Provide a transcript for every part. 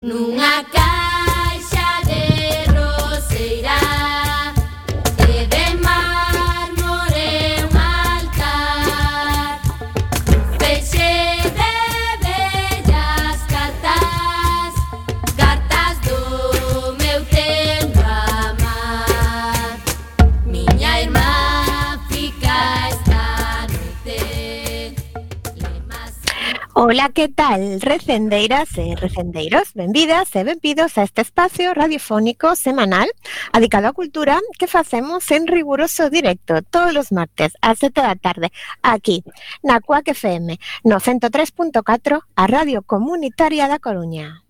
Nunha caixa de roseira e de mármore un altar, feixe de bellas cartas, cartas do meu tempo amar. Miña irmá fica esta noite. Ola, que tal, recendeiras e recendeiros? Benvidas e benvidos a este espacio radiofónico semanal dedicado á cultura que facemos en riguroso directo todos os martes ás 7 da tarde aquí na CUAC FM no 103.4, a Radio Comunitaria da Coruña.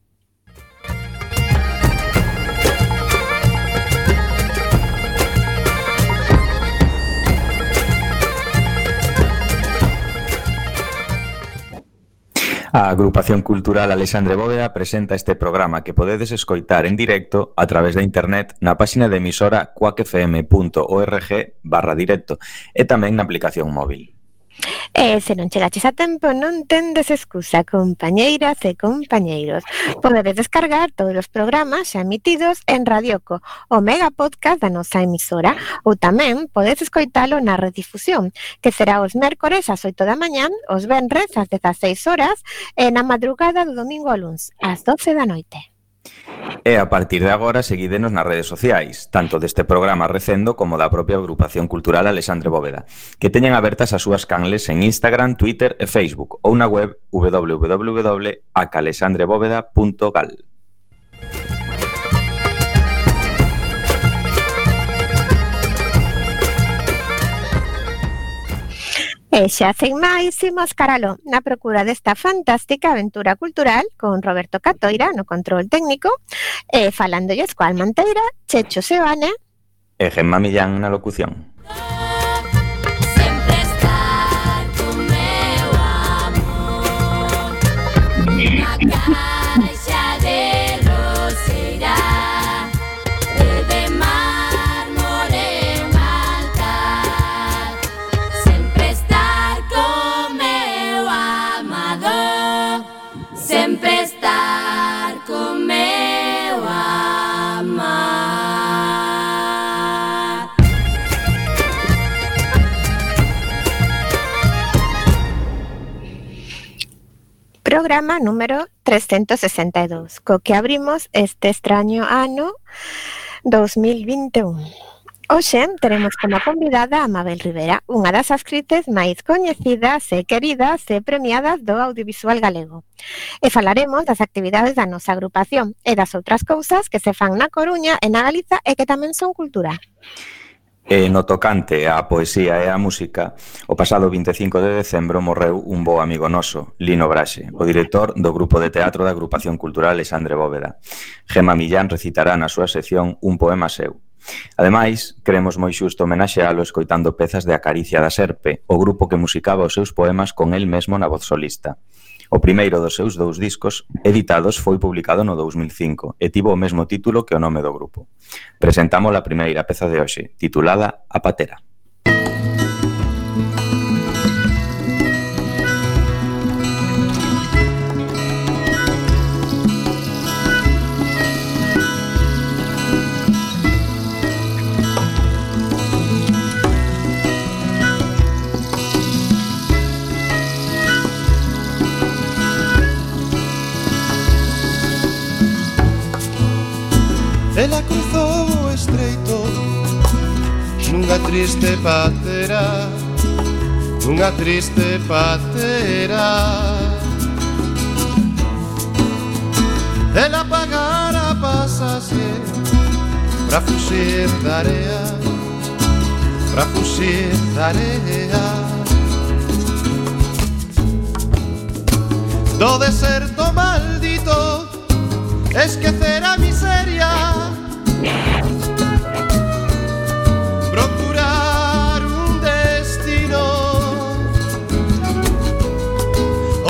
A Agrupación Cultural Alexandre Bóveda presenta este programa que podedes escoitar en directo a través de internet na páxina de emisora cuacfm.org/directo e tamén na aplicación móvil. E se non chegaches a tempo, non tendes excusa, compañeiras e compañeiros. Podedes descargar todos os programas xa emitidos en Radioco, o mega podcast da nosa emisora, ou tamén podes escoitalo na redifusión, que será os mércores ás 8 da mañá, os venres ás 16 horas e na madrugada do domingo ao luns, ás 12 da noite. E a partir de agora seguídenos nas redes sociais, tanto deste programa Recendo como da propia Agrupación Cultural Alexandre Bóveda, que teñen abertas as súas canles en Instagram, Twitter e Facebook, ou na web www.acalexandrebóveda.gal. E xa sen máis, imos caralo na procura desta fantástica aventura cultural con Roberto Catoira no control técnico e falándolles coa Almanteira, Checho Sebane E Gemma Millán na locución. Sempre estar con meu amor. Nunha caixa de roseira e de mármore un altar, sempre estar con meu amado, sempre estar con meu amar. Programa número 362, co que abrimos este extraño ano 2021. Hoxe teremos como convidada a Mabel Rivera, unha das actrices máis coñecidas e queridas e premiadas do audiovisual galego. E falaremos das actividades da nosa agrupación e das outras cousas que se fan na Coruña e na Galiza e que tamén son cultura. E no tocante á poesía e á música, o pasado 25 de decembro morreu un bo amigo noso, Lino Braxe, o director do grupo de teatro da Agrupación Cultural Alexandre Bóveda. Gemma Millán recitará na súa sección un poema seu. Ademais, queremos moi xusto homenaxealo escoitando pezas de Acaricia da Serpe, o grupo que musicaba os seus poemas con el mesmo na voz solista. O primeiro dos seus 2 discos editados foi publicado no 2005 e tivo o mesmo título que o nome do grupo. Presentamos a primeira peza de hoxe, titulada A Patera. Ela cruzou o estreito nunha triste patera, nunha triste patera. Ela pagara pasase pra fuxir da area, pra fuxir da area. Do deserto maldito esquecer a miseria, procurar un destino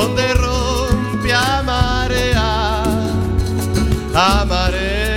onde rompe a marea, a marea.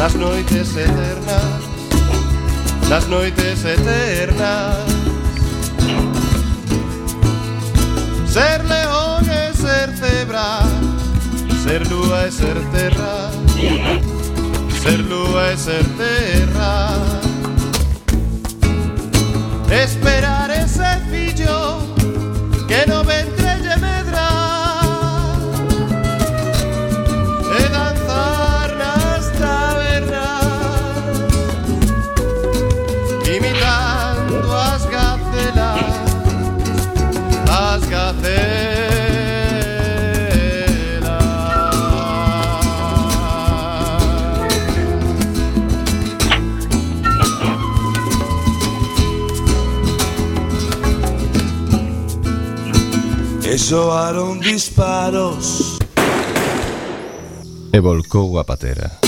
nas noites eternas, nas noites eternas. Ser león e ser cebra, ser lúa e ser terra, ser lúa e ser terra. Esperar ese fillo que no ventre lle medra e danzar nas tabernas imitando as gacelas, as gacelas. E soaron disparos e volcou a patera.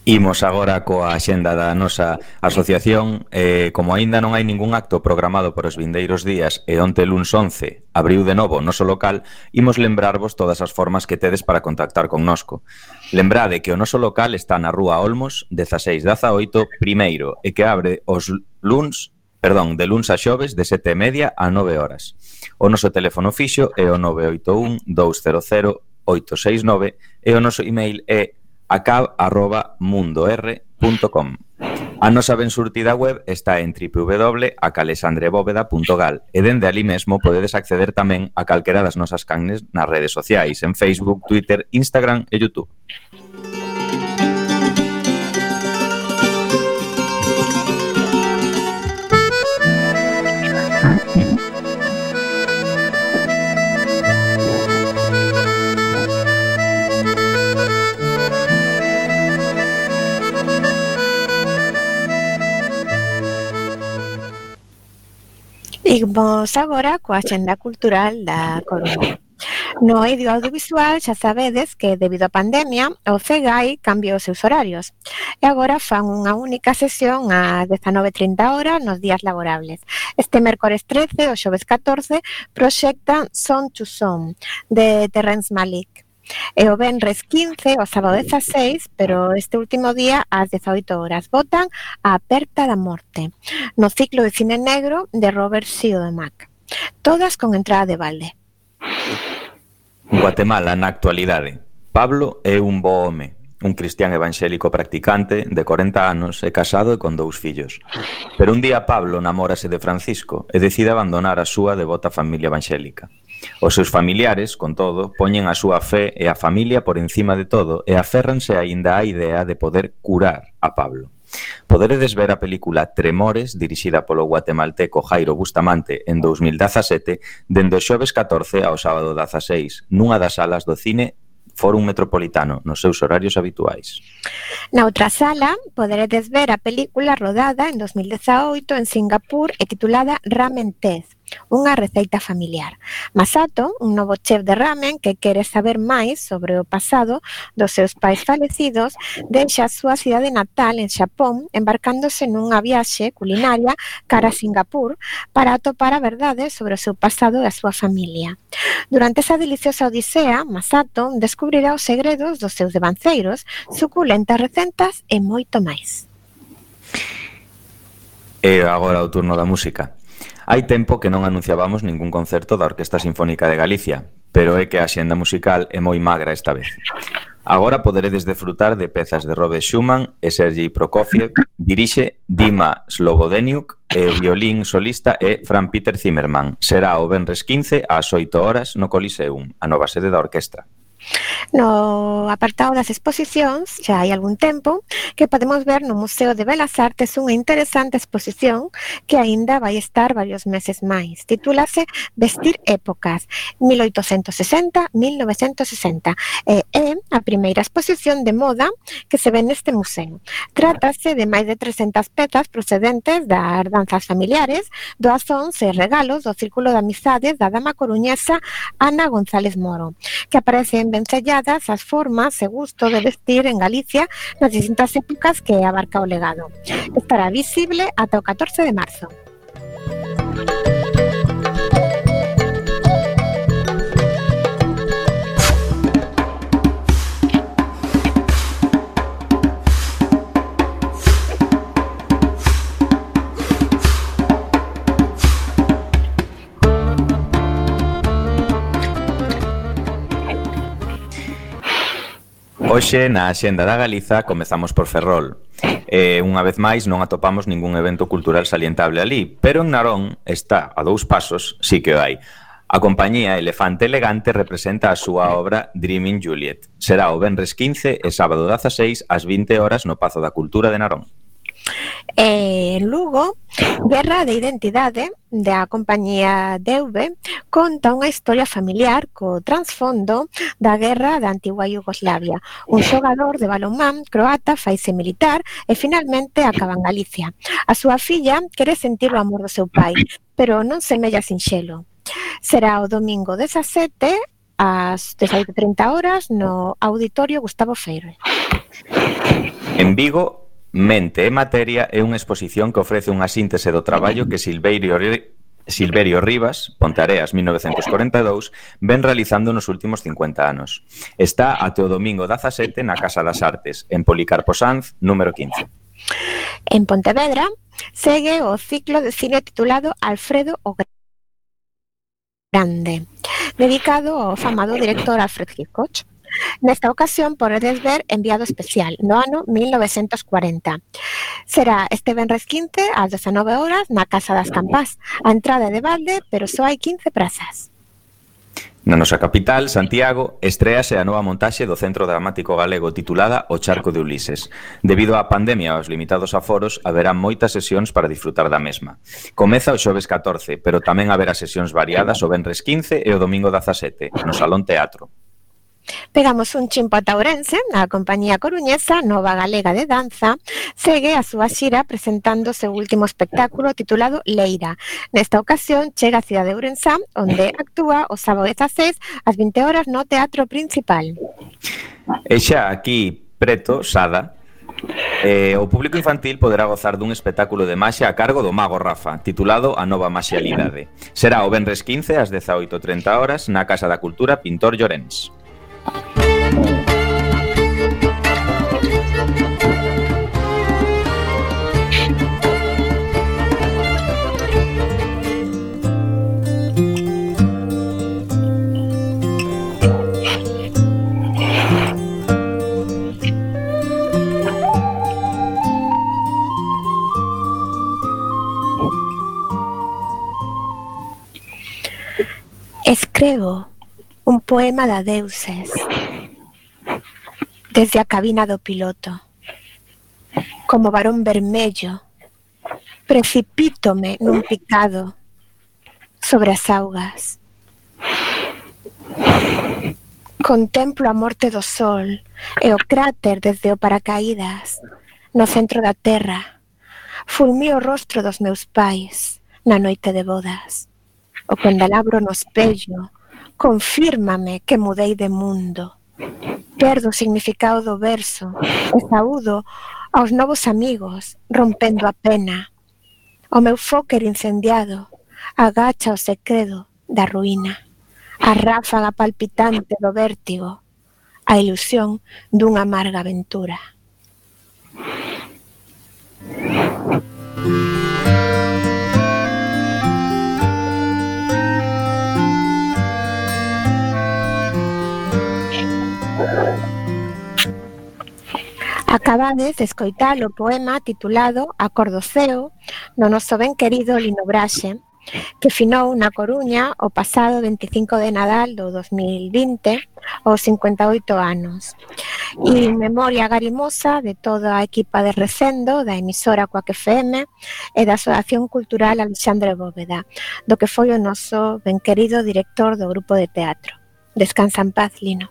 Imos agora coa axenda da nosa asociación. Como aínda non hai ningún acto programado por os vindeiros días e onte luns 11 abriu de novo o noso local, imos lembrarvos todas as formas que tedes para contactar connosco. Lembrade que o noso local está na Rúa Olmos, 1618, primeiro, e que abre os luns, de luns a xoves de 7:30 a 9 horas. O noso teléfono fixo é o 981 200 869 e o noso email é acab@mundor.com. A nosa ben surtida web está en www.acalesandrebóveda.gal e dende ali mesmo podedes acceder tamén a calquera das nosas canles nas redes sociais, en Facebook, Twitter, Instagram e YouTube. Imos agora coa axenda cultural da Coruña. No eido audiovisual xa sabedes que debido á pandemia o CEGAI cambiou os seus horarios e agora fan unha única sesión ás 19:30 horas nos días laborables. Este mércores 13 o xoves 14 proxectan Son to Son de Terrence Malick. E o venres 15 o sábado 16, pero este último día ás 18 horas botan A Aperta da Morte, no ciclo de cine negro de Robert Siodmak. Todas con entrada de balde. Guatemala na actualidade. Pablo é un bo home, un cristián evangélico practicante de 40 anos e casado e con 2 fillos. Pero un día Pablo namórase de Francisco e decide abandonar a súa devota familia evangélica. Os seus familiares, con todo, poñen a súa fe e a familia por encima de todo e aférranse aínda á idea de poder curar a Pablo. Poderedes ver a película Tremores, dirixida polo guatemalteco Jairo Bustamante en 2017, dende o xoves 14 ao sábado 16, nunha das salas do cine Fórum Metropolitano, nos seus horarios habituais. Na outra sala, poderedes ver a película rodada en 2018 en Singapur e titulada Ramen Tez, unha receita familiar. Masato, un novo chef de ramen que quere saber máis sobre o pasado dos seus pais falecidos, deixa a súa cidade natal en Xapón embarcándose nunha viaxe culinaria cara a Singapur para atopar a verdade sobre o seu pasado e a súa familia. Durante esa deliciosa odisea, Masato descubrirá os segredos dos seus devanceiros, suculentas recetas e moito máis. E agora o turno da música. Hai tempo que non anunciábamos ningún concerto da Orquesta Sinfónica de Galicia, pero é que a axenda musical é moi magra esta vez. Agora poderedes desfrutar de pezas de Robert Schumann e Sergei Prokofiev, dirixe Dima Slobodeniuk e o violín solista é Franz Peter Zimmermann. Será o venres 15 ás 8 horas no Coliseum, a nova sede da orquestra. No apartado das exposicións, xa hai algún tempo, que podemos ver no Museo de Belas Artes unha interesante exposición que aínda vai estar varios meses máis. Titúlase Vestir épocas, 1860-1960. É a primeira exposición de moda que se ve neste museo. Trátase de máis de 300 pezas procedentes das danzas familiares, doazóns e regalos do Círculo de Amizades da dama coruñesa Ana González Moro, que aparecen vencelladas as formas e gusto de vestir en Galicia nas distintas épocas que abarca o legado. Estará visible ata o 14 de marzo. Hoxe, na Axenda da Galiza, comezamos por Ferrol. Unha vez máis, non atopamos ningún evento cultural salientable ali, pero en Narón está, a 2 pasos, sí que o hai. A compañía Elefante Elegante representa a súa obra Dreaming Juliet. Será o venres 15 e sábado 16 ás 20 horas no Pazo da Cultura de Narón. En Lugo, Guerra de Identidade, da compañía DV, conta unha historia familiar co transfondo da guerra da antigua Iugoslavia. Un xogador de balonmán croata faise militar e finalmente acaba en Galicia. A súa filla quere sentir o amor do seu pai, pero non semella sinxelo. Será o domingo 17 ás 18:30 horas no Auditorio Gustavo Feire. En Vigo, Mente e Materia é unha exposición que ofrece unha síntese do traballo que Silverio Rivas, Ponteareas 1942, ven realizando nos últimos 50 anos. Está até o domingo 17 na Casa das Artes, en Policarpo Sanz, número 15. En Pontevedra, segue o ciclo de cine titulado Alfredo o Grande, dedicado ao famado director Alfred Hitchcock. Nesta ocasión podedes ver Enviado Especial, no ano 1940. Será este venres 15 ás 19 horas na Casa das Campás. A entrada é de balde, pero só hai 15 prazas. Na nosa capital, Santiago, estréase a nova montaxe do Centro Dramático Galego titulada O Charco de Ulises. Debido á pandemia e aos limitados aforos, haberá moitas sesións para disfrutar da mesma. Comeza o xoves 14, pero tamén haberá sesións variadas o venres 15 e o domingo 17, no Salón Teatro. Pegamos un chimpo ata Ourense, a compañía coruñesa Nova Galega de Danza segue a súa xira presentando o seu último espectáculo titulado Leira. Nesta ocasión chega a cidade de Ourensá, onde actúa o sábado 16 ás 20 horas no Teatro Principal. E xa aquí, preto, Sada, o público infantil poderá gozar dun espectáculo de maxia a cargo do Mago Rafa, titulado A Nova Maxialidade. Será o venres 15 ás 18:30 horas na Casa da Cultura Pintor Llorens. Escrevo un poema de adeuses desde a cabina do piloto. Como varón vermello, precipítome nun picado sobre as augas. Contemplo a morte do sol e o cráter desde o paracaídas no centro da terra. Fulmío o rostro dos meus pais na noite de bodas. O candelabro no espello confírmame que mudei de mundo. Perdo o significado do verso e saúdo aos novos amigos, rompendo a pena. O meu fóquer incendiado agacha o secreto da ruína. A ráfaga palpitante do vértigo, a ilusión dunha amarga aventura. Acabades de escoitar o poema titulado Acordoceo no noso ben querido Lino Braxe, que finou na Coruña o pasado 25 de Nadal do 2020 aos 58 anos. E memoria garimosa de toda a equipa de Recendo, da emisora Coac FM e da Asociación Cultural Alexandre Bóveda, do que foi o noso ben querido director do grupo de teatro. Descansa en paz, Lino.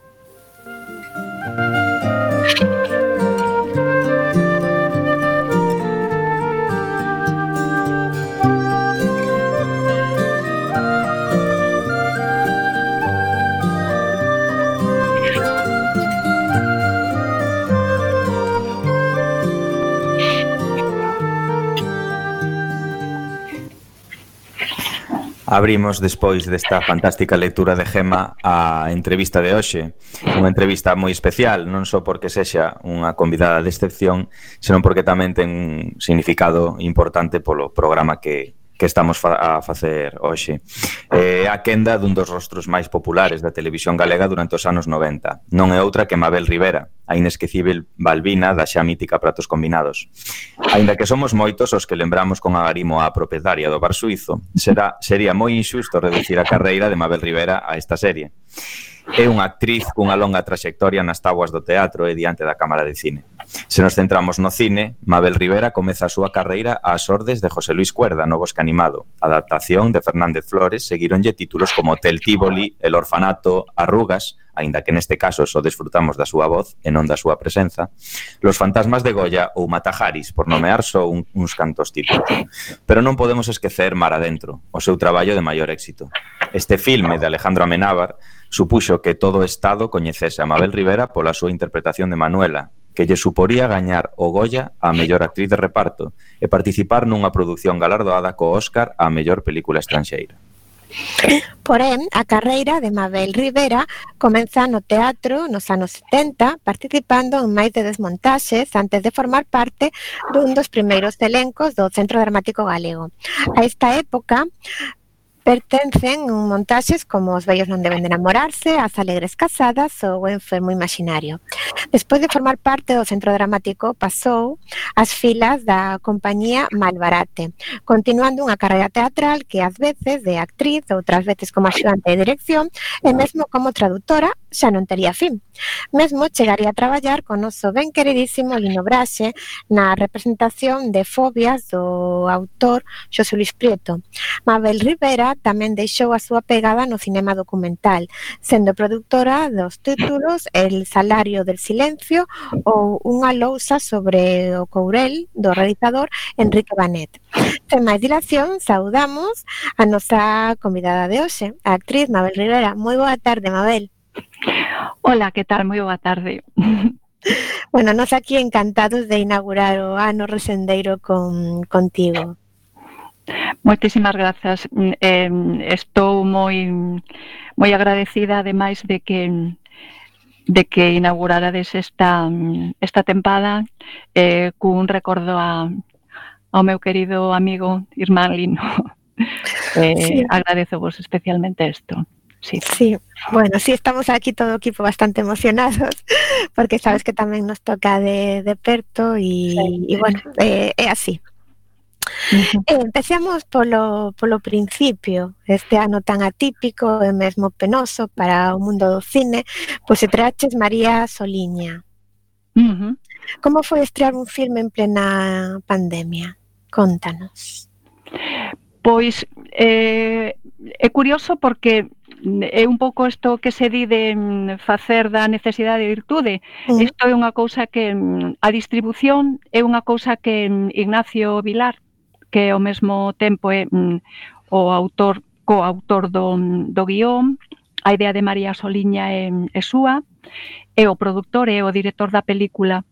Abrimos, despois desta fantástica lectura de Gema, a entrevista de hoxe. Unha entrevista moi especial, non só porque sexa unha convidada de excepción, senón porque tamén ten un significado importante polo programa que estamos a facer hoxe. É a quenda dun dos rostros máis populares da televisión galega durante os anos 90. Non é outra que Mabel Rivera, a inesquecível Balbina da xa mítica Pratos Combinados. Aínda que somos moitos os que lembramos con agarimo a propietaria do bar suízo, sería moi injusto reducir a carreira de Mabel Rivera a esta serie. É unha actriz cunha longa traxectoria nas táboas do teatro e diante da Cámara de Cine. Se nos centramos no cine, Mabel Rivera comeza a súa carreira ás ordes de José Luis Cuerda no Bosque Animado. Adaptación de Fernández Flores, seguironlle títulos como Hotel Tívoli, El Orfanato, Arrugas, aínda que neste caso só desfrutamos da súa voz e non da súa presenza, Los Fantasmas de Goya ou Matajaris, por nomear só uns cantos títulos. Pero non podemos esquecer Mar Adentro, o seu traballo de maior éxito. Este filme de Alejandro Amenábar supuxo que todo o Estado coñecese a Mabel Rivera pola súa interpretación de Manuela, que lle suporía gañar o Goya a mellor actriz de reparto e participar nunha produción galardoada co Óscar a mellor película estranxeira. Porén, a carreira de Mabel Rivera comeza no teatro nos anos 70, participando en máis de 10 montaxes antes de formar parte dun dos primeiros elencos do Centro Dramático Galego. A esta época pertencen montaxes como Os vellos non deben de enamorarse, As alegres casadas ou O enfermo imaginario. Despois de formar parte do Centro Dramático, pasou ás filas da compañía Malbarate, continuando unha carreira teatral que ás veces de actriz, outras veces como axudante de dirección e mesmo como traductora xa non tería fin. Mesmo chegaría a traballar con noso ben queridísimo Lino Braxe na representación de Fobias do autor Xosé Luis Prieto. Mabel Rivera tamén deixou a súa pegada no cinema documental, sendo produtora dos títulos El salario del silencio ou Unha lousa sobre o courel do realizador Enrique Banet. Sen máis dilación, saudamos a nosa convidada de hoxe, a actriz Mabel Rivera. Moi boa tarde, Mabel. Hola, que tal? Moi boa tarde. Bueno, nos aquí encantados de inaugurar o ano resendeiro contigo. Moitísimas grazas. Estou moi agradecida, ademais de que inaugurarades esta tempada cun recordo ao meu querido amigo irmán Lino. Sí. Agradezovos especialmente isto. Sí. Sí, bueno, sí, estamos aquí todo o equipo bastante emocionados porque sabes que tamén nos toca de perto e bueno, é así. Empecemos polo principio. Este ano tan atípico e mesmo penoso para o mundo do cine, pois estreaches María Soliña. Como foi estrear un filme en plena pandemia? Contanos. Pois é curioso porque é un pouco isto que se di de facer da necesidade de virtude. Isto é unha cousa que a distribución é unha cousa que Ignacio Vilar, que ao mesmo tempo é o coautor do guión, a idea de María Soliña é súa, é o produtor e o director da película.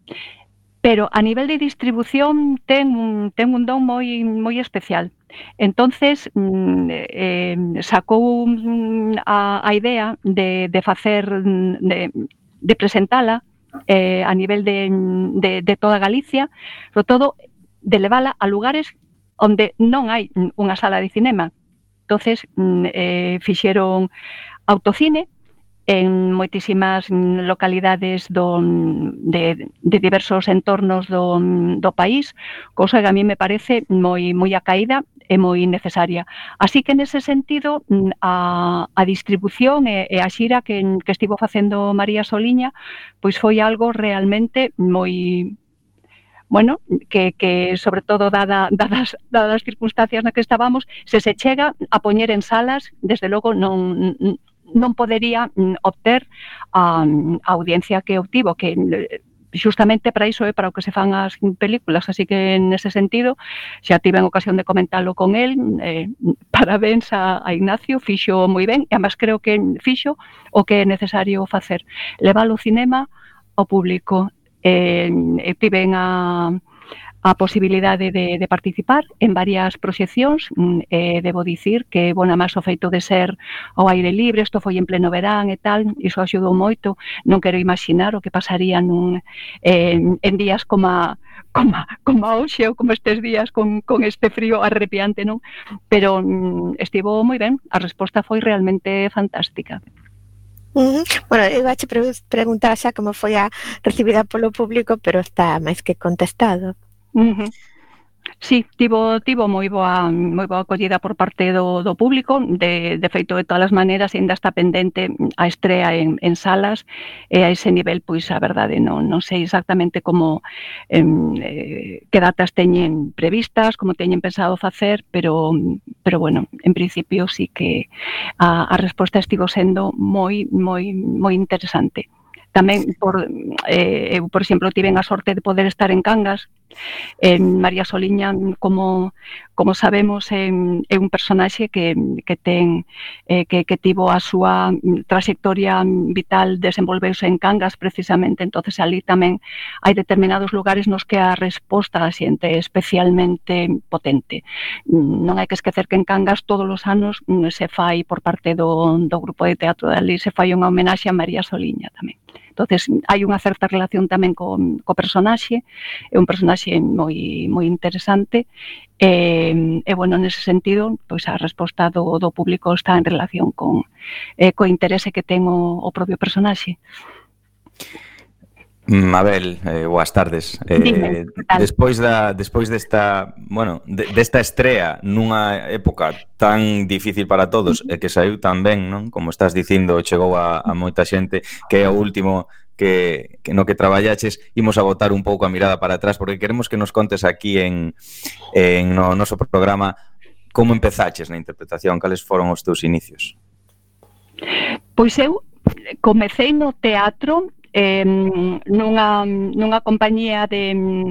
Pero a nivel de distribución ten un don moi especial. Entonces sacou a idea de facer, de presentala a nivel de toda Galicia, sobre todo de levala a lugares onde non hai unha sala de cinema. Entonces fixeron autocine en moitísimas localidades de diversos entornos do país, cousa que a mí me parece moi acaída. moi necesaria. Así que nese sentido a distribución e a xira que estivo facendo María Soliña pois foi algo realmente moi bueno, que sobre todo dadas as circunstancias na que estábamos, se chega a poñer en salas, desde logo non podería obter a audiencia que obtivo, que xustamente para iso é para o que se fan as películas, así que nese sentido xa tiven ocasión de comentalo con el, parabéns a Ignacio, fixo moi ben, e además creo que fixo o que é necesario facer, levar o cinema ao público. Tiven a posibilidade de participar en varias proxeccións, debo dicir que, bueno, máis o feito de ser ao aire libre, isto foi en pleno verán e tal, iso axudou moito, non quero imaginar o que pasaría en días como hoxe ou como estes días con este frío arrepiante, non? Pero estivo moi ben, a resposta foi realmente fantástica. Bueno, iba a preguntar xa como foi a recibida polo público, pero está máis que contestado. Sí, tivo moi boa acollida por parte do público, de feito de todas as maneiras ainda está pendente a estrea en salas, e a ese nivel, pois a verdade non sei exactamente como que datas teñen previstas, como teñen pensado facer, pero bueno, en principio sí que a resposta estivo sendo moi interesante. Tamén, eu, por exemplo, tiven a sorte de poder estar en Cangas. María Soliña, como sabemos, é un personaxe que tivo a súa trayectoria vital, desenvolveuse en Cangas precisamente, entonces ali tamén hai determinados lugares nos que a resposta da xente é especialmente potente. Non hai que esquecer que en Cangas todos os anos se fai por parte do grupo de teatro de ali, se fai unha homenaxe a María Soliña tamén. Entonces, hai unha certa relación tamén co personaxe, é un personaxe moi interesante, e, bueno, nese sentido, pois a resposta do público está en relación co interese que ten o propio personaxe. Mabel, boas tardes. Dime, despois desta, bueno, desta estrea nunha época tan difícil para todos e que saiu tan ben, non? Como estás dicindo, chegou a moita xente, que é o último que no que traballaches, imos a botar un pouco a mirada para atrás, porque queremos que nos contes aquí no noso programa como empezaches na interpretación, cales foron os teus inicios. Pois eu comecei no teatro nunha compañía de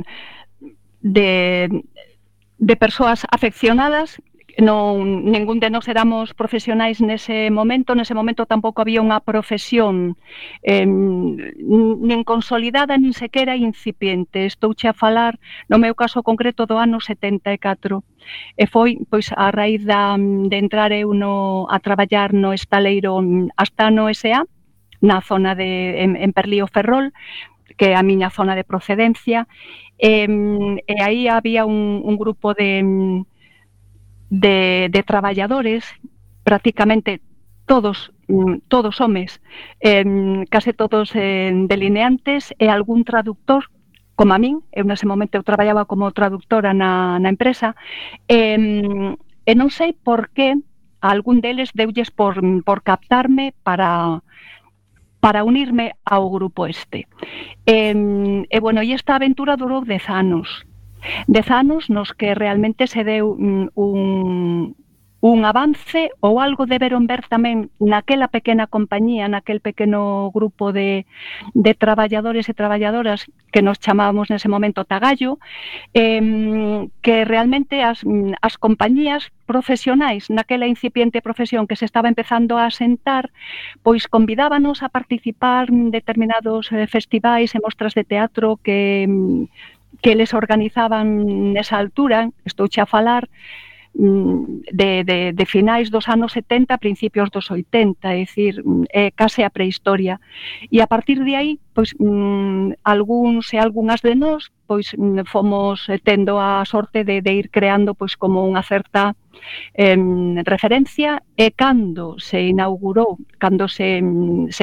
persoas afeccionadas. Ningún de nós éramos profesionais nese momento tampouco había unha profesión nin consolidada, nin sequera incipiente. Estouche a falar, no meu caso concreto, do ano 74, e foi pois a raíz de entrar eu a traballar no estaleiro Astano S.A., na zona en Perlío Ferrol, que é a miña zona de procedencia, e aí había un grupo de traballadores, prácticamente todos homes, case todos delineantes, e algún traductor, como a min. Eu nese momento eu traballaba como traductora na empresa, e non sei por que a algún deles deulles por captarme para unirme ao grupo este. E bueno, e esta aventura durou 10 anos. 10 anos nos que realmente se deu un avance ou algo deberon ver tamén naquela pequena compañía, naquel pequeno grupo de traballadores e traballadoras que nos chamábamos nese momento Tagallo, que realmente as compañías profesionais naquela incipiente profesión que se estaba empezando a asentar, pois convidábanos a participar en determinados festivais e mostras de teatro que les organizaban nesa altura. Estouche a falar de finais dos anos 70, principios dos 80, é dicir, case a prehistoria. E a partir de aí, pois algúns e algunhas de nós pois fomos tendo a sorte de ir creando pois como unha certa referencia, e cando se inaugurou, cando se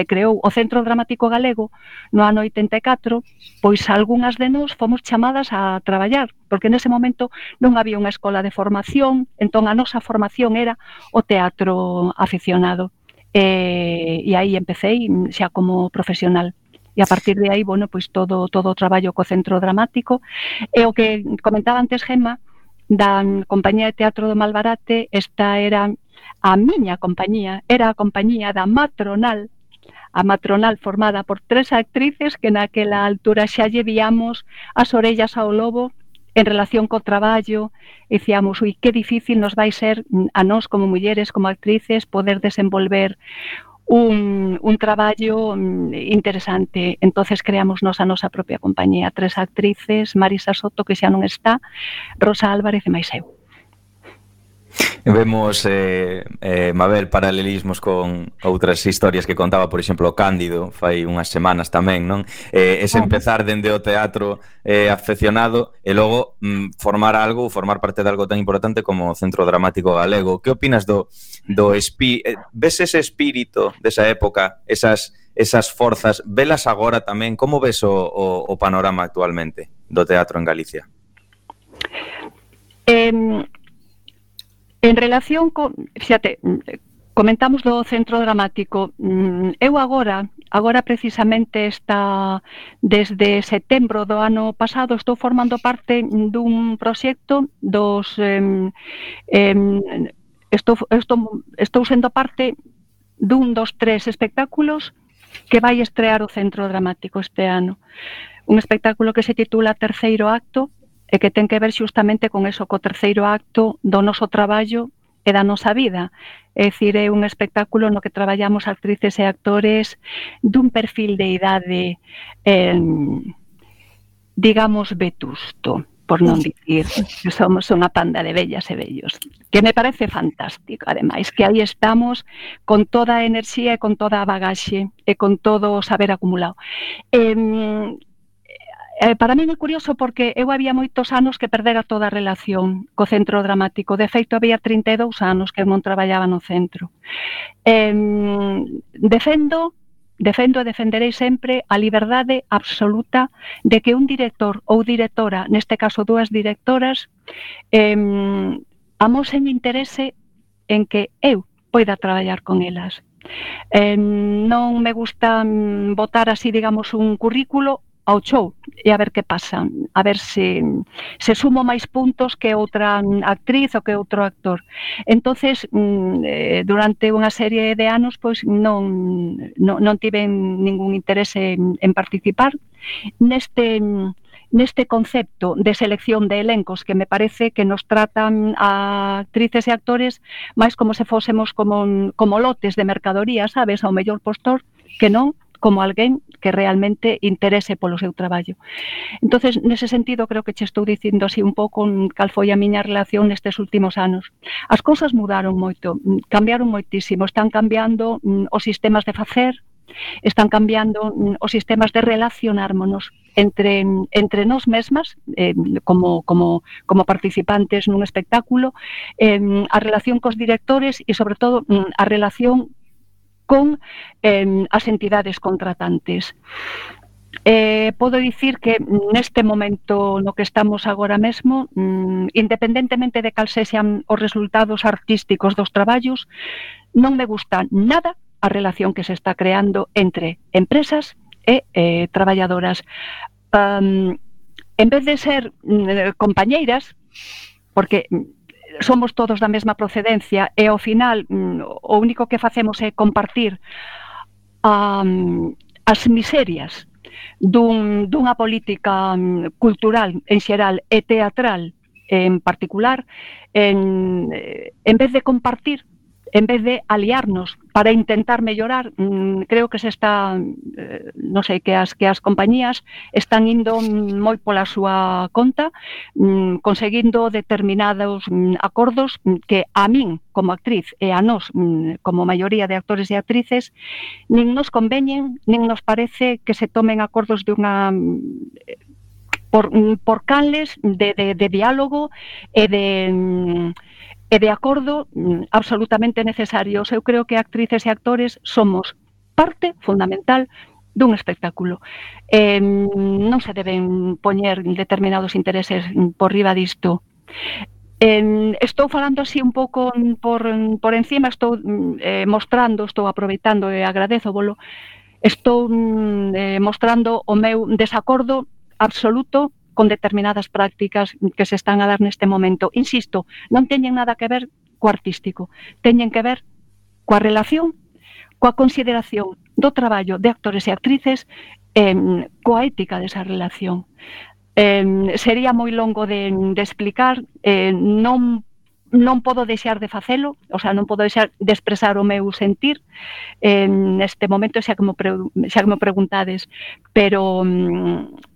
creou o Centro Dramático Galego no ano 84, pois algunhas de nós fomos chamadas a traballar, porque nese momento non había unha escola de formación, entón a nosa formación era o teatro aficionado. E aí empecé xa como profesional. E a partir de aí, bueno, pois todo o traballo co Centro Dramático. E o que comentaba antes Gemma, da compañía de teatro do Malbarate, esta era a miña compañía, era a compañía da Matronal, a Matronal formada por 3 actrices que naquela altura xa lle víamos as orellas ao lobo en relación co traballo, e dicíamos, ui, que difícil nos vai ser a nós como mulleres, como actrices, poder desenvolver un traballo interesante. Entonces creamos a nosa propia compañía, 3 actrices, Marisa Soto, que xa non está, Rosa Álvarez e máis eu. Vemos, Mabel, paralelismos con outras historias que contaba, por exemplo, Cándido, fai unhas semanas tamén, non? Ese empezar dende o teatro afeccionado e logo formar parte de algo tan importante como o Centro Dramático Galego. Que opinas ves ese espírito desa época, esas forzas, velas agora tamén? Como ves o panorama actualmente do teatro en Galicia? En relación con, fíjate, comentamos do Centro Dramático, eu agora precisamente desde setembro do ano pasado estou formando parte dun proxecto estou sendo parte dun dos 3 espectáculos que vai estrear o Centro Dramático este ano. Un espectáculo que se titula Terceiro Acto, e que ten que ver xustamente con eso, co terceiro acto do noso traballo e da nosa vida. É dicir, é un espectáculo no que traballamos actrices e actores dun perfil de idade, digamos, vetusto, por non dicir que somos unha panda de vellas e vellos, que me parece fantástico, ademais, que aí estamos con toda a enerxía e con toda a bagaxe e con todo o saber acumulado. Para mí é curioso porque eu había moitos anos que perdera toda a relación co Centro Dramático. De feito, había 32 anos que non traballaba no centro. Defendo e defenderei sempre a liberdade absoluta de que un director ou directora, neste caso 2 directoras, amosen interese en que eu poida traballar con elas. Non me gusta botar así, digamos, un currículo ao show e a ver que pasa, a ver se sumo máis puntos que outra actriz ou que outro actor. Entonces, durante unha serie de anos, pois non tive ningún interese en participar neste concepto de selección de elencos que me parece que nos tratan a actrices e actores máis como se fósemos como lotes de mercadoría, sabes, ao mellor postor, que non como alguén que realmente interese polo seu traballo. Entonces, nese sentido, creo que che estou dicindo así un pouco cal foi a miña relación nestes últimos anos. As cousas mudaron moito, cambiaron moitísimo, están cambiando os sistemas de facer, están cambiando os sistemas de relacionármonos entre nós mesmas, como participantes nun espectáculo, a relación cos directores e, sobre todo, a relación con as entidades contratantes. Podo dicir que neste momento no que estamos agora mesmo, independentemente de cal sexan os resultados artísticos dos traballos, non me gusta nada a relación que se está creando entre empresas e traballadoras. En vez de ser compañeiras, porque somos todos da mesma procedencia e ao final o único que facemos é compartir as miserias dunha política cultural en xeral e teatral en particular, en vez de compartir en vez de aliarnos para intentar mellorar, creo que se está, non sei, que as compañías están indo moi pola súa conta, conseguindo determinados acordos que a min como actriz e a nós como maioría de actores e actrices nin nos conveñen, nin nos parece que se tomen acordos de unha por canles de diálogo e de acordo absolutamente necesarios. Eu creo que actrices e actores somos parte fundamental dun espectáculo. Non se deben poñer determinados intereses por riba disto. Estou falando así un pouco por encima, estou mostrando, estou aproveitando e agradezovolo, estou mostrando o meu desacordo absoluto con determinadas prácticas que se están a dar neste momento. Insisto, non teñen nada que ver co artístico, teñen que ver coa relación, coa consideración do traballo de actores e actrices, coa ética desa relación. Sería moi longo de explicar, non podo deixar de facelo, o sea, non podo deixar de expresar o meu sentir neste momento, xa que me preguntades, pero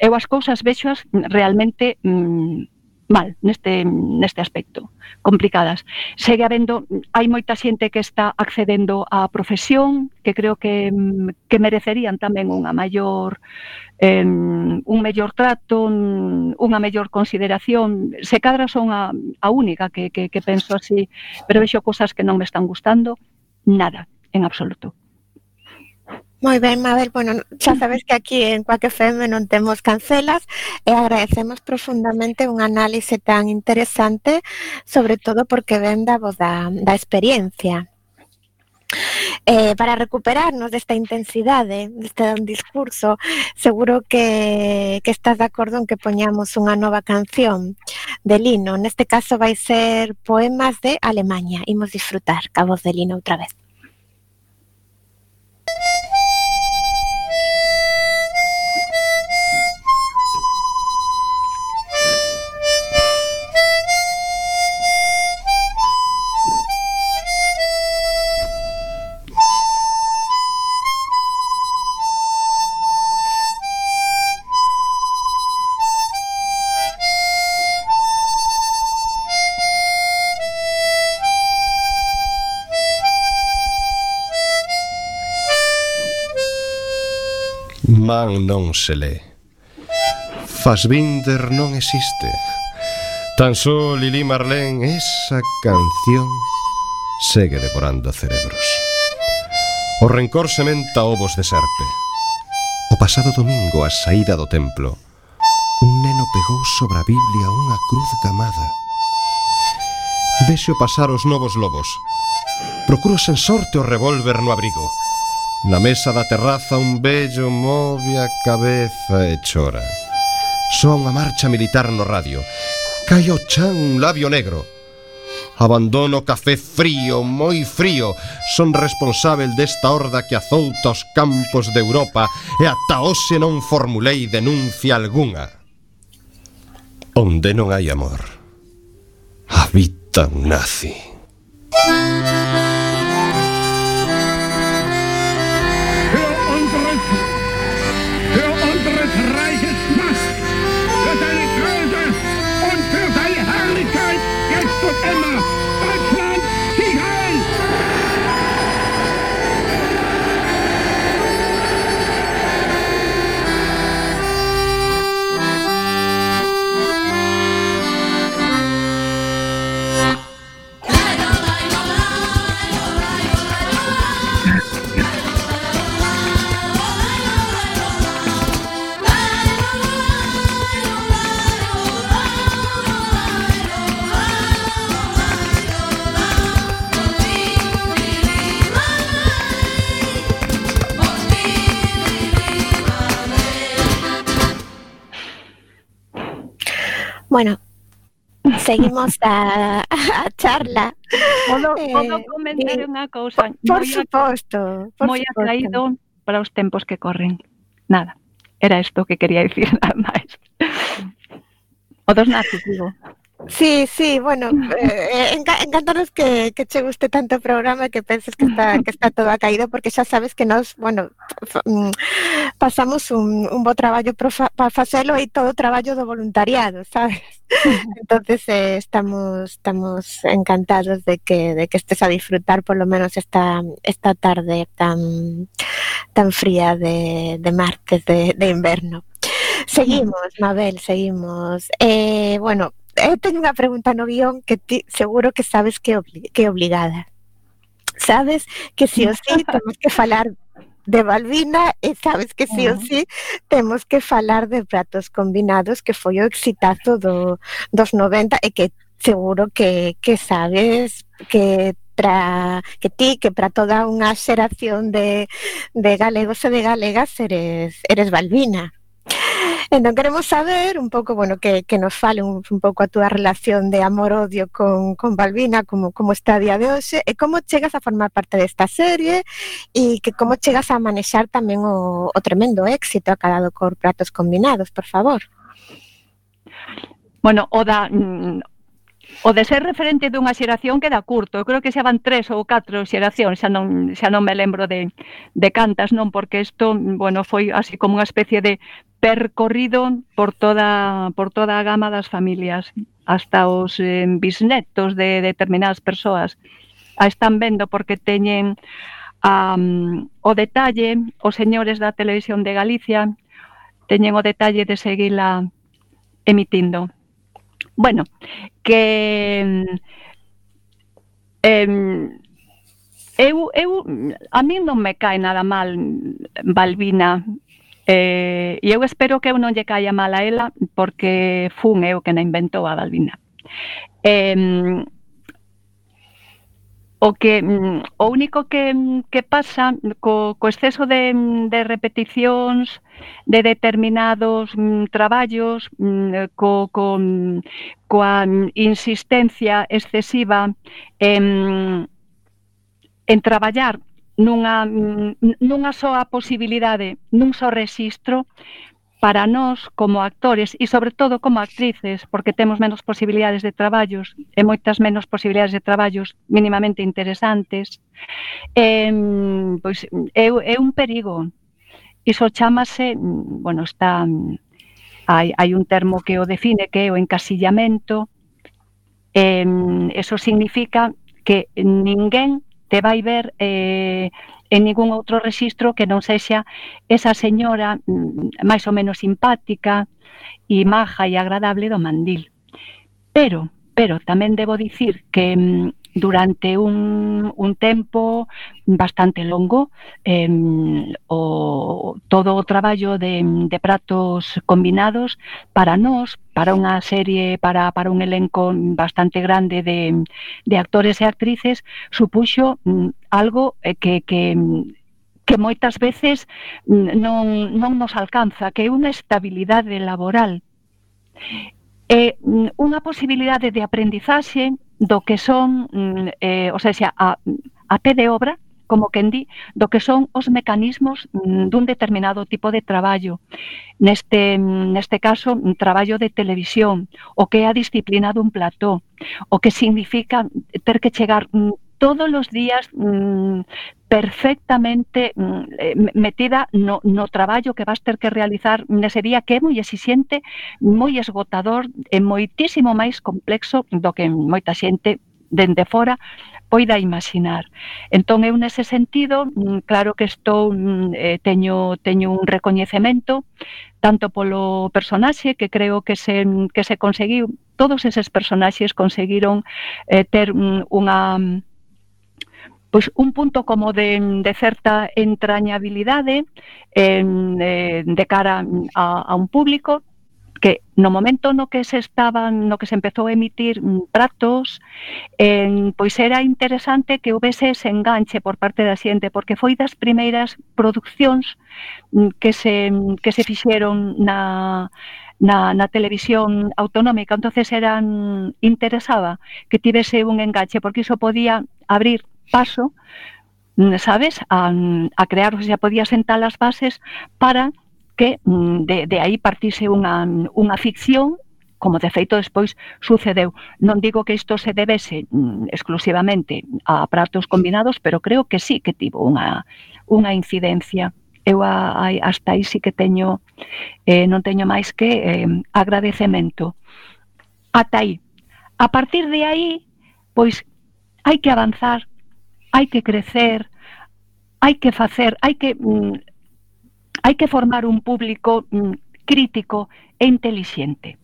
eu as cousas vexoas realmente mal neste aspecto, complicadas. Segue habendo, hai moita xente que está accedendo á profesión, que creo que merecerían tamén un mellor trato, unha mellor consideración. Se cadra son a única que penso así, pero vexo cosas que non me están gustando nada, en absoluto. Moi ben, Mabel, bueno, xa sabes que aquí en Quack FM non temos cancelas e agradecemos profundamente un análise tan interesante, sobre todo porque ven da voz da experiencia. Para recuperarnos desta intensidade, deste discurso, seguro que estás de acordo en que poñamos unha nova canción de Lino. Neste caso vai ser Poemas de Alemaña. Imos disfrutar ca voz de Lino outra vez. Man non se lé. Fassbinder non existe. Tan só Lili Marlene, esa canción segue devorando cerebros. O rencor sementa ovos de serpe. O pasado domingo, a saída do templo, un neno pegou sobre a Biblia unha cruz gamada. Vexo pasar os novos lobos. Procuro sen sorte o revólver no abrigo. Na mesa da terraza un vello move a cabeza e chora. Soa unha marcha militar no radio. Cai ao chan un labio negro. Abandono café frío, moi frío. Son responsável desta horda que azouta os campos de Europa e ata hoxe non formulei denuncia algunha. Onde non hai amor, habita un nazi. Bueno, seguimos a charla. Podo comentar unha cousa? Por suposto. Moi atraído para os tempos que corren. Nada, era isto que quería dicir, nada máis. O dos nazis, digo. Sí, bueno, encantanos que che guste tanto o programa, que penses que está todo caído, porque xa sabes que nos, bueno, pasamos un bo traballo para facelo e todo o traballo do voluntariado, sabes? Entonces estamos encantados de que estés a disfrutar por lo menos esta tarde tan fría de martes de inverno. Seguimos, Mabel, seguimos. Bueno, teño unha pregunta no guión que ti seguro que sabes que é obligada. Sabes que sí o sí temos que falar de Balbina e sabes que sí o sí temos que falar de Pratos Combinados, que foi o exitazo dos 90 e que seguro que sabes que para toda unha xeración de galegos e de galegas eres Balbina. Entón queremos saber un pouco, bueno, que nos fale un pouco a túa relación de amor-odio con Balbina, como está a día de hoxe, e como chegas a formar parte desta serie e que como chegas a manexar tamén o tremendo éxito acadado cor Pratos Combinados, por favor. Bueno, o de ser referente dunha xeración queda curto. Eu creo que xa van 3 ou 4 xeracións, xa non me lembro de cantas, non, porque isto, bueno, foi así como unha especie de percorrido por toda a gama das familias, hasta os bisnetos de determinadas persoas a están vendo porque teñen o detalle, os señores da Televisión de Galicia teñen o detalle de seguila emitindo. Bueno, que a mí non me cae nada mal Balbina, e eu espero que eu non lle caia mal a ela, porque fun eu que na inventou a Balbina. O único que pasa co exceso de repeticións de determinados traballos, coa insistencia excesiva en traballar nunha soa posibilidade, nun só rexistro, para nós como actores e sobre todo como actrices, porque temos menos posibilidades de traballos e moitas menos posibilidades de traballos mínimamente interesantes, pois é un perigo. Iso chámase, bueno, hai un termo que o define, que é o encasillamento. Eso significa que ninguén te vai ver en ningún outro rexistro que non sexa esa señora máis ou menos simpática e maja e agradable do mandil. Pero tamén debo dicir que durante un tempo bastante longo todo o traballo de Pratos Combinados para nós, para unha serie, para un elenco bastante grande de actores e actrices, supuxo algo que moitas veces non nos alcanza, que é unha estabilidade laboral. É unha posibilidade de aprendizaxe do que son, o sea, a pé de obra, como quen di, do que son os mecanismos dun determinado tipo de traballo. Neste caso, un traballo de televisión, o que é a disciplina dun plató, o que significa ter que chegar todos os días perfectamente metida no traballo que vas ter que realizar nese día, que é moi exixente, moi esgotador e moitísimo máis complexo do que moita xente dende fora poida imaginar. Entón, eu nese sentido, claro que teño un recoñecemento tanto polo personaxe, que creo que se conseguiu, todos eses personaxes conseguiron ter un punto como de certa entrañabilidade de cara a un público que no momento no que se empezou a emitir Pratos, pois era interesante que houbese ese enganche por parte da xente, porque foi das primeiras producións que se fixeron na televisión autonómica. Entonces interesaba que tivese un enganche, porque iso podía abrir paso, sabes, a crear, o sea, podía sentar as bases para que de aí partise unha ficción como de feito despois sucedeu. Non digo que isto se debese exclusivamente a pratos combinados, pero creo que sí que tivo unha incidencia. Eu hasta aí sí que teño, non teño máis que agradecemento. Ata aí. A partir de aí, pois, hai que avanzar, hai que crecer, hai que facer, hai que formar un público crítico e intelixente.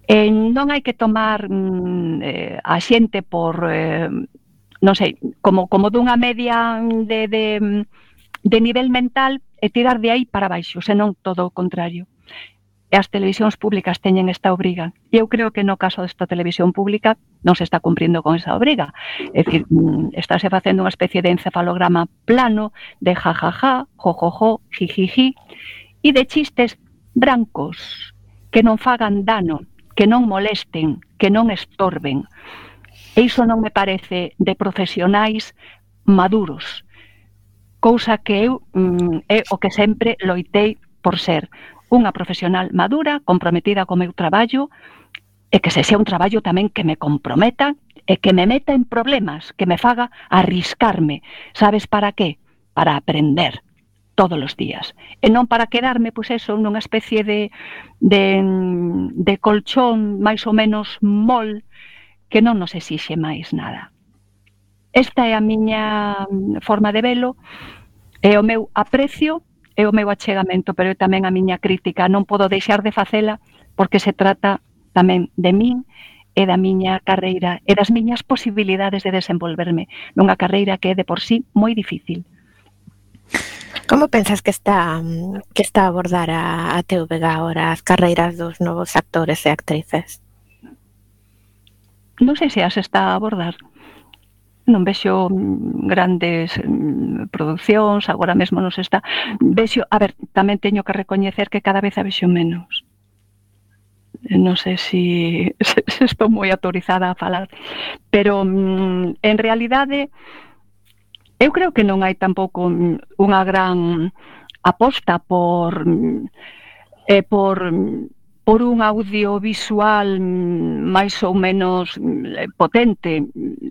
Non hai que tomar a xente por, non sei, como dunha media de nivel mental e tirar de aí para baixo, senón todo o contrario. E as televisións públicas teñen esta obriga. E eu creo que no caso desta televisión pública non se está cumprindo con esa obriga. É dicir, estáse facendo unha especie de encefalograma plano de jajaja, jojojo, jijiji, e de chistes brancos que non fagan dano, que non molesten, que non estorben. E iso non me parece de profesionais maduros. Cousa que eu é o que sempre loitei por ser unha profesional madura, comprometida co meu traballo, e que se sea un traballo tamén que me comprometa e que me meta en problemas, que me faga arriscarme. Sabes para qué? Para aprender todos os días. E non para quedarme, pois eso, nunha especie de colchón máis ou menos mol que non nos exixe máis nada. Esta é a miña forma de velo, é o meu aprecio, é o meu achegamento, pero é tamén a miña crítica. Non podo deixar de facela porque se trata tamén de min e da miña carreira e das miñas posibilidades de desenvolverme nunha carreira que é de por sí moi difícil. Como pensas que está a abordar a TVG agora as carreiras dos novos actores e actrices? Non sei se as está a abordar. Non vexo grandes producións, agora mesmo non se está. Vexo, a ver, tamén teño que recoñecer que cada vez a vexo menos. Non sei se estou moi autorizada a falar, pero en realidade eu creo que non hai tampouco unha gran aposta por un audiovisual máis ou menos potente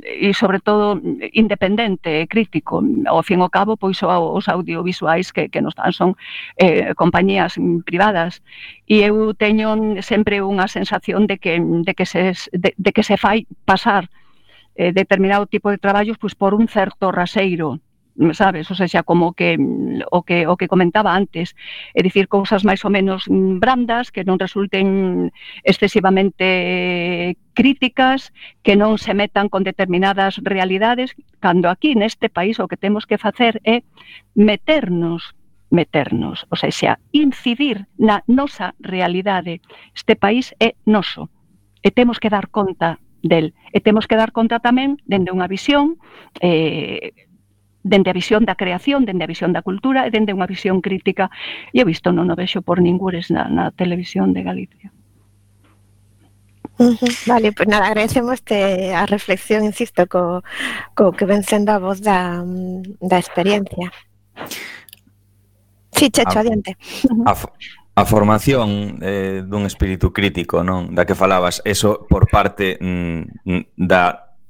e, sobre todo, independente e crítico. Ao fin e ao cabo, pois os audiovisuais que nos dan son compañías privadas. E eu teño sempre unha sensación de que se fai pasar determinado tipo de traballos pois por un certo raseiro, sabes? O sea, como que o que comentaba antes, é dicir, cousas máis ou menos brandas que non resulten excesivamente críticas, que non se metan con determinadas realidades, cando aquí neste país o que temos que facer é meternos, o sea, incidir na nosa realidade. Este país é noso e temos que dar conta del. E temos que dar conta tamén dende unha visión dende a visión da creación, dende a visión da cultura e dende unha visión crítica. E eu isto non o vexo por ningures na televisión de Galicia. Vale, pois nada, agradecemos a reflexión, insisto, co que ven sendo a voz da experiencia. Sí, Checho, adiante. A formación dun espírito crítico, non? Da que falabas, eso por parte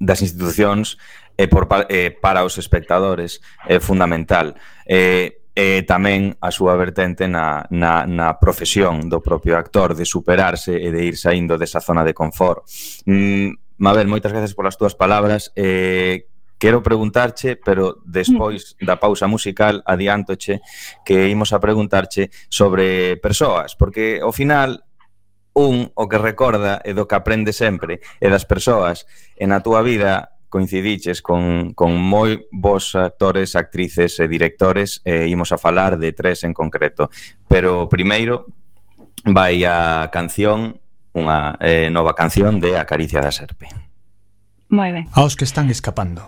das institucións e para os espectadores é fundamental. Tamén a súa vertente na profesión do propio actor, de superarse e de ir saindo desa zona de confort. Mabel, moitas gracias polas túas palabras. Quero preguntarche, pero despois da pausa musical adiántoche que imos a preguntarche sobre persoas, porque ao final o que recorda e do que aprende sempre é das persoas. E na túa vida coincidiches con moi bons actores, actrices e directores, e imos a falar de 3 en concreto. Pero primeiro vai a canción, unha nova canción de A Caricia da Serpe. Moi ben. Aos que están escapando.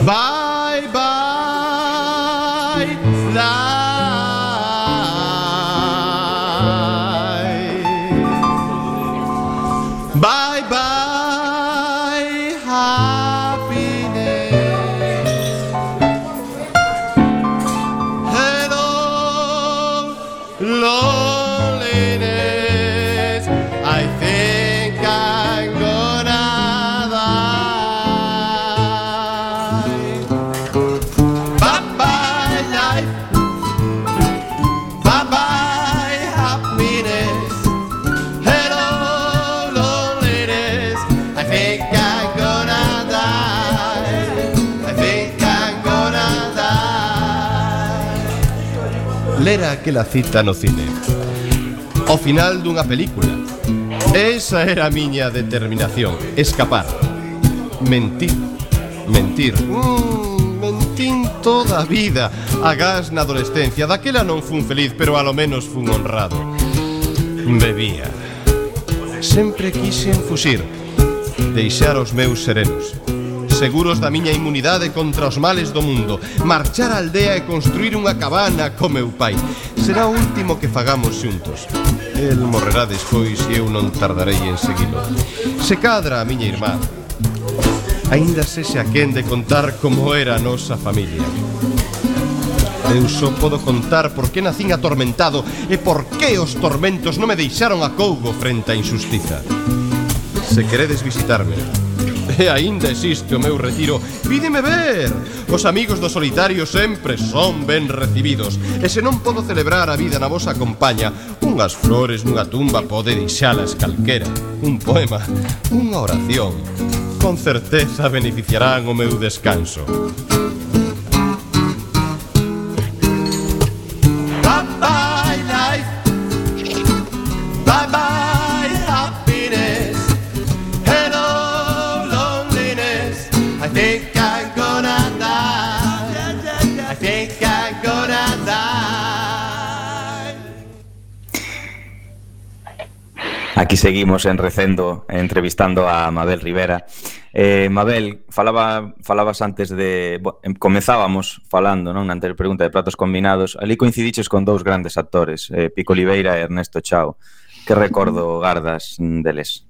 Bye, bye, fly. Bye, bye, happiness. Hello, lera aquela cita no cine. Ao final dunha película. Esa era a miña determinación, escapar. Mentir. Mentín toda a vida. Agás na adolescencia. Daquela non fun feliz, pero alo menos fun honrado. Bebía. Sempre quixen fuxir, deixar os meus serenos, seguros da miña inmunidade contra os males do mundo, marchar á aldea e construir unha cabana co meu pai. Será o último que fagamos xuntos. El morrerá despois e eu non tardarei en seguilo. Se cadra a miña irmá, aínda sexa quen de contar como era a nosa familia. Eu só podo contar por que nacín atormentado e por que os tormentos non me deixaron a cougo frente á injustiza. Se queredes visitarme, e aínda existe o meu retiro, vídeme ver. Os amigos do solitario sempre son ben recibidos. E se non podo celebrar a vida na vosa compaña, unhas flores nunha tumba pode deixalas calquera. Un poema, unha oración, con certeza beneficiarán o meu descanso. Bye-bye life, bye-bye happiness, hello loneliness. I think I'm gonna die, I think I'm gonna die. Aquí seguimos en Recendo, entrevistando a Mabel Rivera. Mabel, falabas antes de... Comezábamos falando, non, na anterior pregunta de Pratos Combinados. Ali coincidiches con dous grandes actores, Pico Oliveira e Ernesto Chao. Que recordo gardas deles?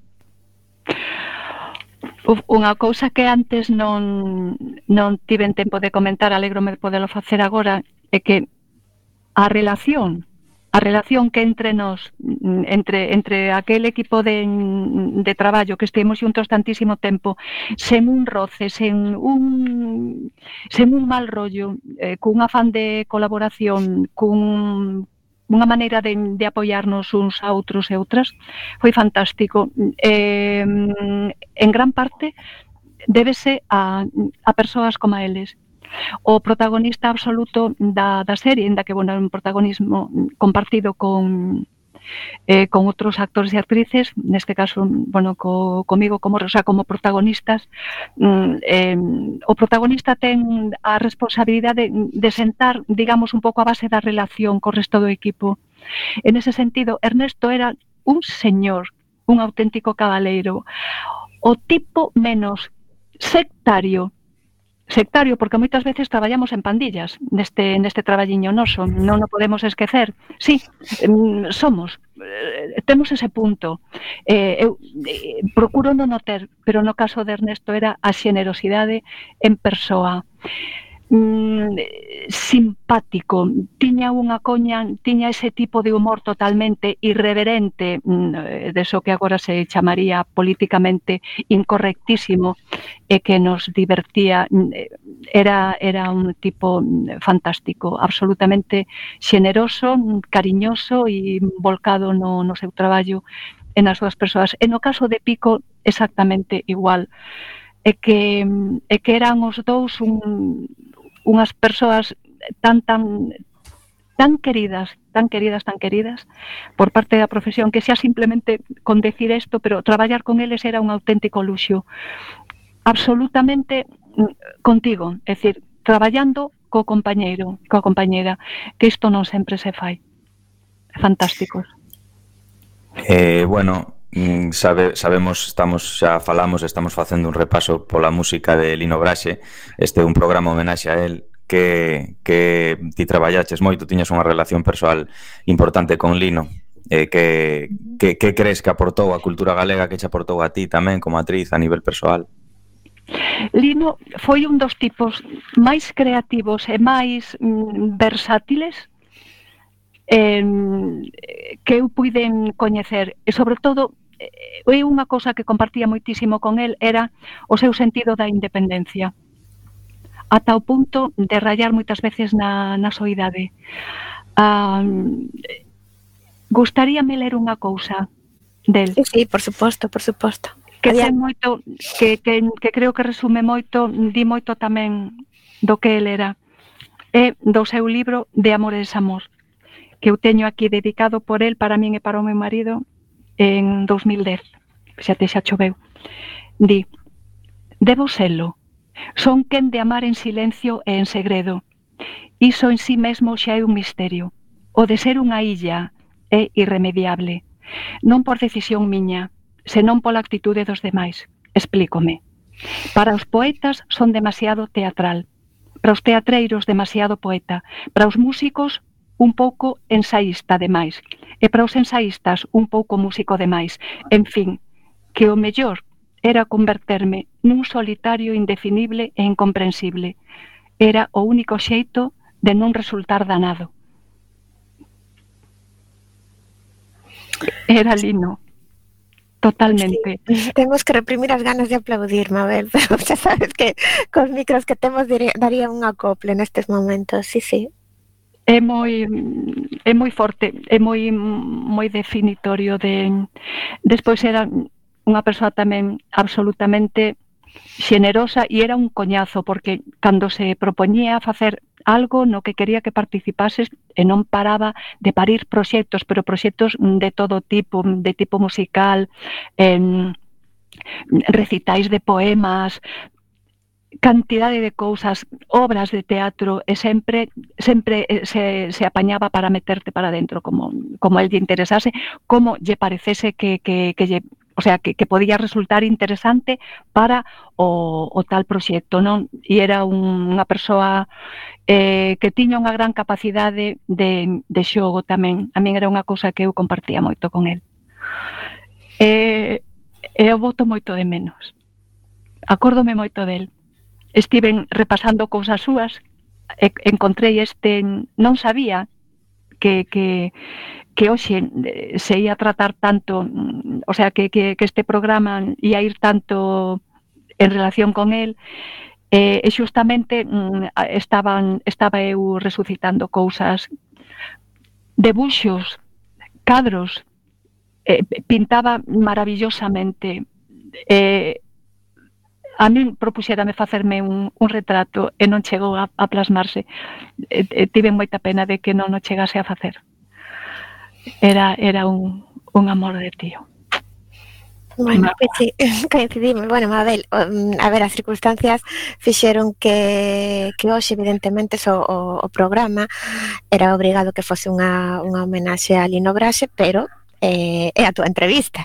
Unha cousa que antes non tiven tempo de comentar, alégrome de podelo facer agora, é que a relación que entre nós, entre aquel equipo de traballo que estivemos xuntos tantísimo tempo, sen un roce, sen un mal rollo, cun afán de colaboración, unha maneira de apoiarnos uns a outros e outras, foi fantástico. En gran parte débese a persoas como eles. O protagonista absoluto da serie, en da que, bueno, é un protagonismo compartido con outros actores e actrices, neste caso, bueno, comigo como protagonistas. O protagonista ten a responsabilidade de sentar, digamos, un pouco a base da relación co resto do equipo. En ese sentido, Ernesto era un señor, un auténtico cabaleiro, o tipo menos sectario, porque moitas veces traballamos en pandillas neste traballiño noso, non o podemos esquecer. Sí, temos ese punto. Eu procuro non o ter, pero no caso de Ernesto era a xenerosidade en persoa. Simpático, tiña unha coña, tiña ese tipo de humor totalmente irreverente, deso que agora se chamaría políticamente incorrectísimo, e que nos divertía. Era un tipo fantástico, absolutamente xeneroso, cariñoso e volcado no seu traballo e nas súas persoas. E no caso de Pico, exactamente igual. É que eran os dous unhas persoas tan queridas por parte da profesión, que xa simplemente con decir isto, pero traballar con eles era un auténtico luxo. Absolutamente contigo, é dicir, traballando co compañeiro, coa compañera, que isto non sempre se fai. Fantásticos. Bueno, sabemos, estamos facendo un repaso pola música de Lino Braxe. Este é un programa homenaxe a él, que ti traballaches moito, tiñas unha relación persoal importante con Lino. Que crees que aportou a cultura galega, que che aportou a ti tamén como actriz a nivel persoal? Lino foi un dos tipos máis creativos e máis versátiles que eu puiden coñecer, e sobre todo unha cousa que compartía moitísimo con el era o seu sentido da independencia, ata o punto de rayar moitas veces na soidade. Gustaríame ler unha cousa del. Sí, por suposto. Que ten moito, que creo que resume moito, di moito tamén do que el era. É do seu libro De amor e desamor. que eu teño aquí dedicado por el para min e para o meu marido en 2010, xa choveu. Di: debo selo, son quen de amar en silencio e en segredo. Iso en sí mesmo xa é un misterio. O de ser unha illa é irremediable. Non por decisión miña, senón pola actitude dos demais. Explícome. Para os poetas son demasiado teatral, para os teatreiros demasiado poeta, para os músicos un pouco ensaísta demais, e para os ensaístas un pouco músico demais. En fin, que o mellor era converterme nun solitario indefinible e incomprensible. Era o único xeito de non resultar danado. Era Lino. Totalmente. Sí, temos que reprimir as ganas de aplaudir, Mabel, pero xa sabes que cos micros que temos daría un acople nestes momentos, sí. É moi forte, é moi definitorio de... Despois era unha persoa tamén absolutamente xenerosa e era un coñazo, porque cando se propoñía facer algo no que quería que participases e non paraba de parir proxectos, pero proxectos de todo tipo, de tipo musical, recitais de poemas, cantidade de cousas, obras de teatro, e sempre se apañaba para meterte para dentro, como el lle interesase, como lle parecese que podía resultar interesante para o tal proxecto, non? E era unha persoa que tiña unha gran capacidade de xogo tamén. A min era unha cousa que eu compartía moito con el. E eu boto moito de menos. Acórdome moito del. Estiven repasando cousas súas, encontrei non sabía que hoxe se ia tratar tanto, o sea, que este programa ia ir tanto en relación con el, e xustamente estaba eu resucitando cousas, debuxos, cadros, pintaba maravillosamente, a min propuxérame facerme un retrato e non chegou a plasmarse. Tive moita pena de que non o chegase a facer. Era un amor de tío. Bueno, pues sí, coincidimos. Bueno, Mabel, a ver, as circunstancias fixeron que hoxe, evidentemente, o programa era obrigado que fose unha homenaxe a Lino Braxe, pero é a túa entrevista.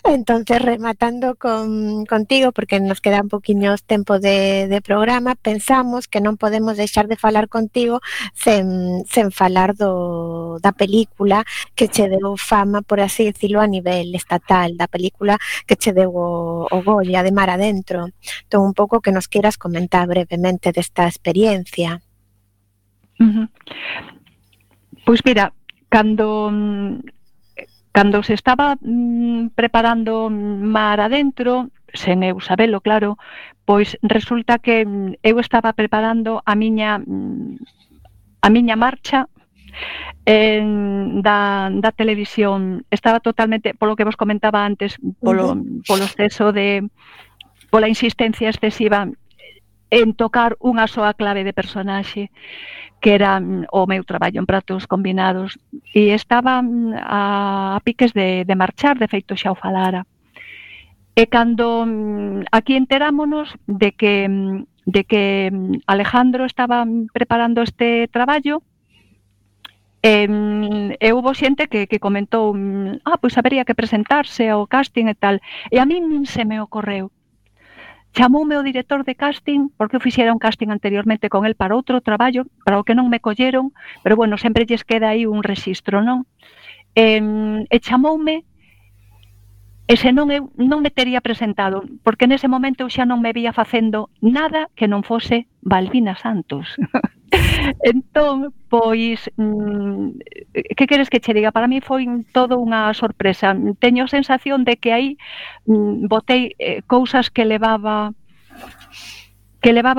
Entonces, rematando contigo, porque nos queda un poquinho tempo de programa, pensamos que non podemos deixar de falar contigo sen falar da película que che deu fama, por así decirlo, a nivel estatal, da película que che deu o Goya de Mar Adentro. Entón, un pouco que nos queiras comentar brevemente desta experiencia. Pois mira, cando se estaba preparando Mar Adentro, sen eu sabelo, claro, pois resulta que eu estaba preparando a miña marcha da televisión. Estaba totalmente, polo que vos comentaba antes, polo exceso pola insistencia excesiva en tocar unha soa clave de personaxe, que era o meu traballo en Pratos Combinados, e estaba a piques de marchar, de feito xa o falara. E cando aquí enterámonos de que Alejandro estaba preparando este traballo, e houbo xente que comentou, pois habería que presentarse ao casting e tal, e a min nin se me ocorreu. Chamoume o director de casting, porque eu fixera un casting anteriormente con el para outro traballo, para o que non me colleron, pero bueno, sempre lles queda aí un rexistro, non? E chamoume, e senón eu non me tería presentado, porque nese momento eu xa non me vía facendo nada que non fose Balbina Santos. Entón, pois, que queres que che diga? Para mí foi todo unha sorpresa. Teño a sensación de que aí botei cousas que levaba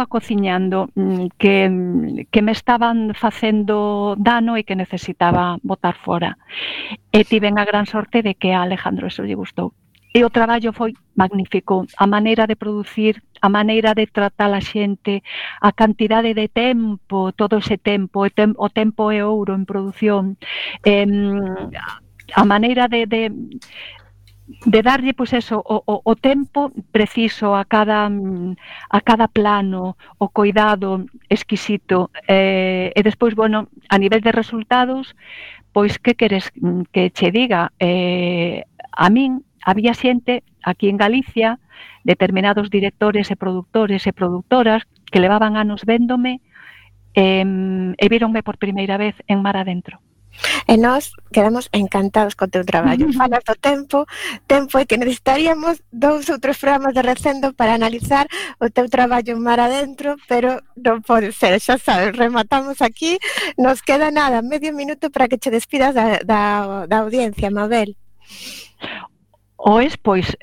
cociñando, que me estaban facendo dano e que necesitaba botar fora. E tiven a gran sorte de que a Alejandro eso lle gustou. E o traballo foi magnífico, a maneira de producir, a maneira de tratar a xente, a cantidade de tempo, todo ese tempo, o tempo é ouro en produción, a maneira de darlle, pois eso, o tempo preciso a cada plano, o cuidado exquisito, e despois, bueno, a nivel de resultados, pois que queres que che diga? A min había xente aquí en Galicia, determinados directores e produtores e produtoras que levaban anos véndome e víronme por primeira vez en Mar Adentro. E nós quedamos encantados co teu traballo. Falas do tempo e que necesitaríamos 2 ou 3 programas de Recendo para analizar o teu traballo en Mar Adentro, pero non pode ser, xa sabes, rematamos aquí, nos queda nada, medio minuto para que che despidas da audiencia, Mabel. Oes, pois,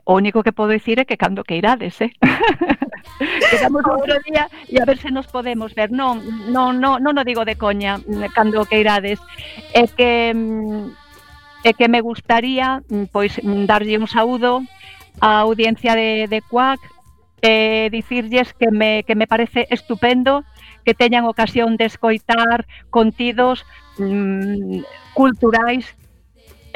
o único que podo dicir é que cando que irades, quedamos outro día e a ver se nos podemos ver. Non o digo de coña, cando que irades. É que me gustaría, pois, darlle un saúdo á audiencia de Cuac e dicirlles que me parece estupendo que teñan ocasión de escoitar contidos culturais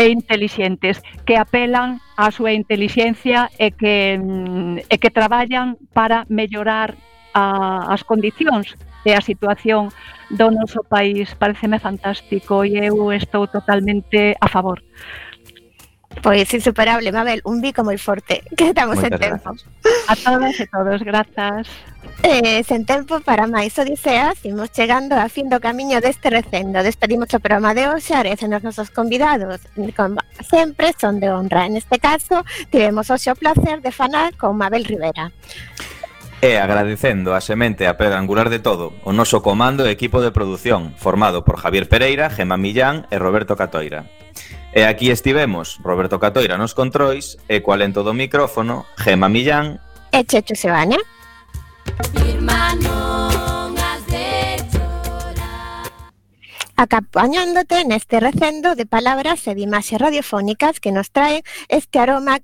e intelixentes, que apelan á súa intelixencia e que traballan para mellorar as condicións e a situación do noso país. Pareceme fantástico e eu estou totalmente a favor. Pois insuperable, Mabel, un bico moi forte, que estamos en tempo. A todas e todos, grazas. Sen tempo para máis odiseas, imos chegando a fin do camiño deste Recendo. Despedimos o programa de hoxe, agradecendo aos nosos convidados, como sempre, son de honra. En este caso, tivemos hoxe o placer de falar con Mabel Rivera. E agradecendo a semente a pedra angular de todo, o noso comando e equipo de produción, formado por Javier Pereira, Gemma Millán e Roberto Catoira. E aquí estivemos, Roberto Catoira nos controis, e coa lento do micrófono, Gemma Millán e Checho Sebania. Acompañándote neste recendo de palabras e de imaxes radiofónicas que nos traen este aroma